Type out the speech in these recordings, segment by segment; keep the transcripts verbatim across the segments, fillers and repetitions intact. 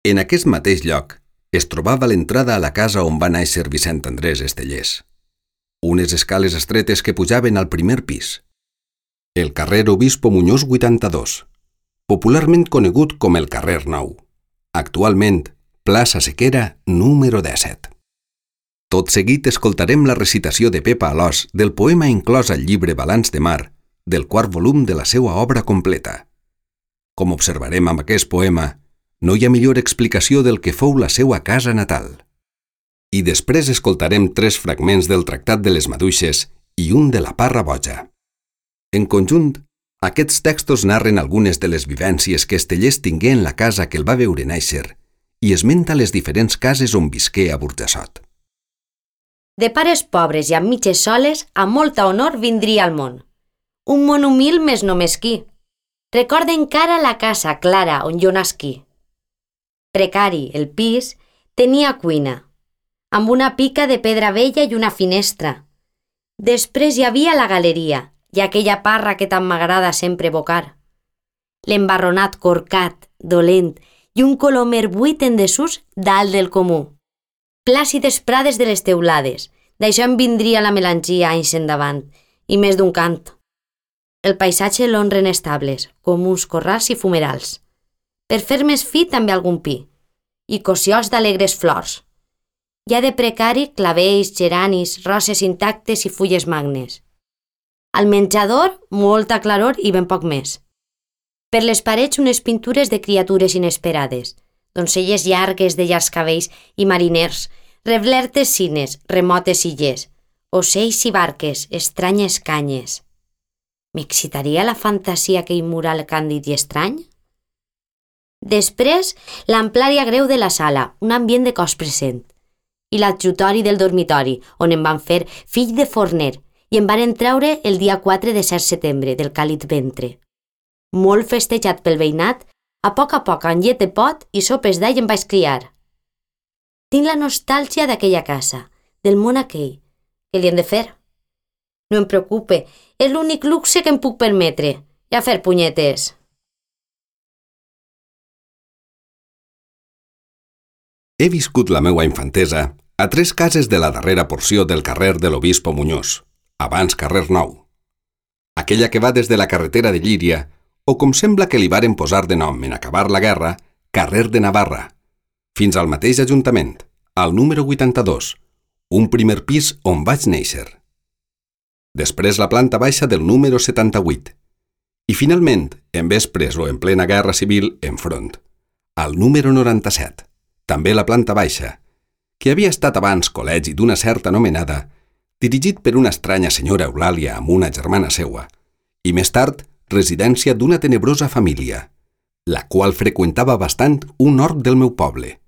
En aquest mateix lloc es trobava l'entrada a la casa on va néixer Vicent Andrés Estellés. Unes escales estretes que pujaven al primer pis. El carrer Obispo Muñoz vuitanta-dos, popularment conegut com el carrer Nou. Actualment, plaça Sequera número disset. Tot seguit escoltarem la recitació de Pepa Alòs del poema inclòs al llibre Balanç de Mar, del quart volum de la seva obra completa. Com observarem amb aquest poema, no hi ha millor explicació del que fou la seva casa natal. I després escoltarem tres fragments del Tractat de les Maduixes i un de la Parra Boja. En conjunt, aquests textos narren algunes de les vivències que Estellés tingué en la casa que el va veure néixer i esmenta les diferents cases on visqué a Burjassot. De pares pobres i amb mitges soles, a molta honor vindria al món. Un món humil més no mesquí. Recorda encara la casa clara on jo nasquí. Precari, el pis, tenia cuina, amb una pica de pedra vella i una finestra. Després hi havia la galeria i aquella parra que tant m'agrada sempre evocar. L'embarronat corcat, dolent i un colomer buit en desús dalt del comú. Plàcides prades de les teulades, d'això em vindria la melangia anys endavant, i més d'un cant. El paisatge l'honren estables, com uns corrals i fumerals. Per fer més fi també algun pi, i cossiols d'alegres flors. Hi ha de precari clavells, geranis, roses intactes i fulles magnes. Al menjador, molta claror i ben poc més. Per les parets unes pintures de criatures inesperades, doncelles llargues de llargs cabells i mariners, reblertes cines, remotes illes, ocells i barques, estranyes canyes. M'excitaria la fantasia aquell mural càndid i estrany? Després, l'amplària greu de la sala, un ambient de cos present, i l'adjutori del dormitori, on em van fer fill de forner i em van treure el dia quatre de cert setembre del càlid ventre. Molt festejat pel veïnat, a poc a poc amb llet de pot i sopes d'all em vaig criar. Tinc la nostàlgia d'aquella casa, del món aquell. Què li hem de fer? No em preocupe, és l'únic luxe que em puc permetre, i a fer punyetes. He viscut la meua infantesa a tres cases de la darrera porció del carrer de l'Obispo Muñoz, abans carrer Nou. Aquella que va des de la carretera de Llíria, o com sembla que li varen posar de nom en acabar la guerra, carrer de Navarra, fins al mateix ajuntament, al número vuitanta-dos, un primer pis on vaig néixer. Després la planta baixa del número setanta-vuit, i finalment, en vespres o en plena guerra civil, enfront, al número noranta-set, també la planta baixa, que havia estat abans col·legi d'una certa anomenada, dirigit per una estranya senyora Eulàlia amb una germana seua, i més tard residència d'una tenebrosa família, la qual freqüentava bastant un hort del meu poble,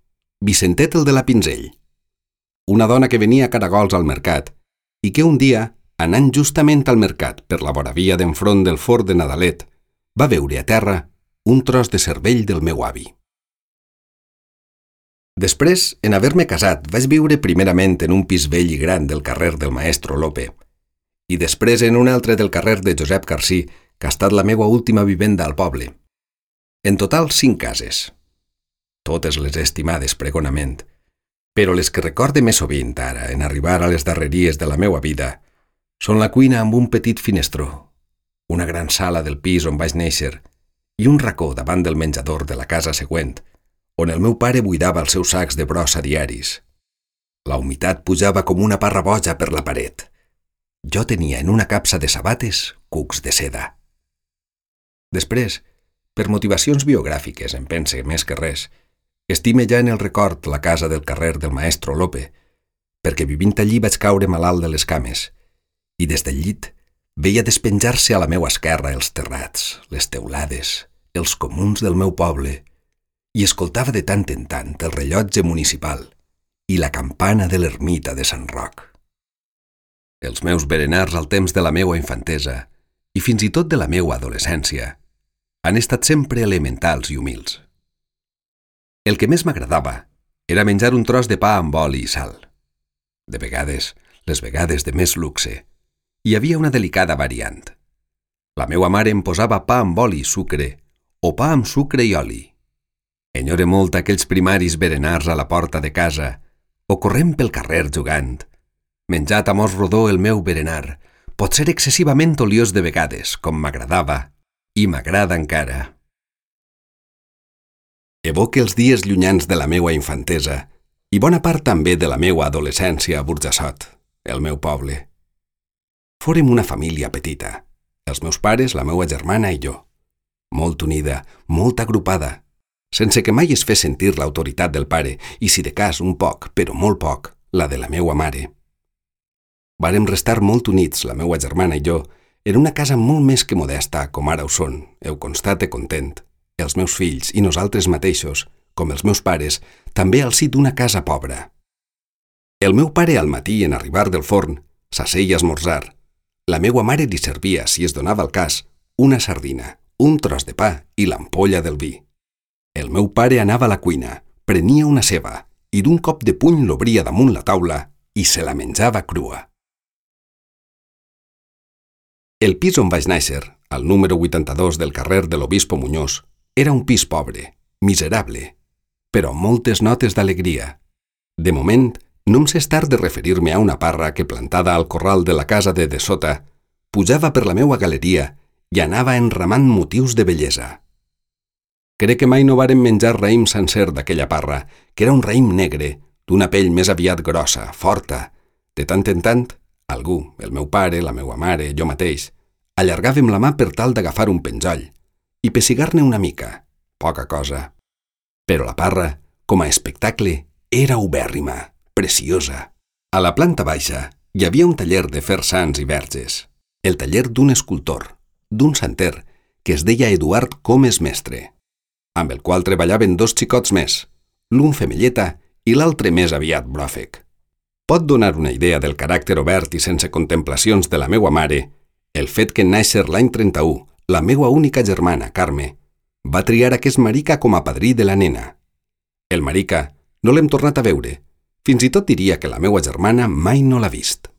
Vicentet el de la Pinzell, una dona que venia a caragols al mercat i que un dia, anant justament al mercat per la vora via d'enfront del fort de Nadalet, va veure a terra un tros de cervell del meu avi. Després, en haver-me casat, vaig viure primerament en un pis vell i gran del carrer del Maestro Lope i després en un altre del carrer de Josep Carcí, que ha estat la meva última vivenda al poble. En total, cinc cases. Totes les estimades pregonament, però les que recorde més sovint ara, en arribar a les darreries de la meua vida, són la cuina amb un petit finestró, una gran sala del pis on vaig néixer i un racó davant del menjador de la casa següent, on el meu pare buidava els seus sacs de brossa diaris. La humitat pujava com una parra boja per la paret. Jo tenia en una capsa de sabates cucs de seda. Després, per motivacions biogràfiques, em pense més que res, estime ja en el record la casa del carrer del Maestro Lope, perquè vivint allí vaig caure malalt de les cames, i des del llit veia despenjar-se a la meua esquerra els terrats, les teulades, els comuns del meu poble, i escoltava de tant en tant el rellotge municipal i la campana de l'ermita de Sant Roc. Els meus berenars al temps de la meua infantesa, i fins i tot de la meua adolescència, han estat sempre elementals i humils. El que més m'agradava era menjar un tros de pa amb oli i sal. De vegades, les vegades de més luxe, hi havia una delicada variant. La meua mare em posava pa amb oli i sucre o pa amb sucre i oli. Enyore molt aquells primaris berenars a la porta de casa o corrent pel carrer jugant. Menjat a mos rodó el meu berenar, pot ser excessivament oliós de vegades, com m'agradava, i m'agrada encara. Evoque els dies llunyans de la meua infantesa i bona part també de la meua adolescència a Burjassot, el meu poble. Fórem una família petita, els meus pares, la meua germana i jo. Molt unida, molt agrupada, sense que mai es fes sentir l'autoritat del pare i, si de cas, un poc, però molt poc, la de la meua mare. Vàrem restar molt units, la meua germana i jo, en una casa molt més que modesta, com ara ho són, heu constate content, els meus fills i nosaltres mateixos, com els meus pares, també al si d'una casa pobra. El meu pare al matí, en arribar del forn, s'asseia a esmorzar. La meua mare li servia, si es donava el cas, una sardina, un tros de pa i l'ampolla del vi. El meu pare anava a la cuina, prenia una ceba i d'un cop de puny l'obria damunt la taula i se la menjava crua. El pis on vaig néixer, al número vuitanta-dos del carrer de l'Obispo Muñoz, era un pis pobre, miserable, però amb moltes notes d'alegria. De moment, no em sé estar de referir-me a una parra que, plantada al corral de la casa de dessota, pujava per la meua galeria i anava enramant motius de bellesa. Crec que mai no vàrem menjar raïm sencer d'aquella parra, que era un raïm negre, d'una pell més aviat grossa, forta. De tant en tant, algú, el meu pare, la meua mare, jo mateix, allargàvem la mà per tal d'agafar un penjoll i pessigar-ne una mica, poca cosa. Però la parra, com a espectacle, era ubèrrima, preciosa. A la planta baixa hi havia un taller de fer sants i verges, el taller d'un escultor, d'un santer, que es deia Eduard Comes Mestre, amb el qual treballaven dos xicots més, l'un femelleta i l'altre més aviat bròfec. Pot donar una idea del caràcter obert i sense contemplacions de la meua mare el fet que en néixer l'any trenta-u, la meua única germana, Carme, va triar aquest marica com a padrí de la nena. El marica no l'hem tornat a veure, fins i tot diria que la meua germana mai no l'ha vist.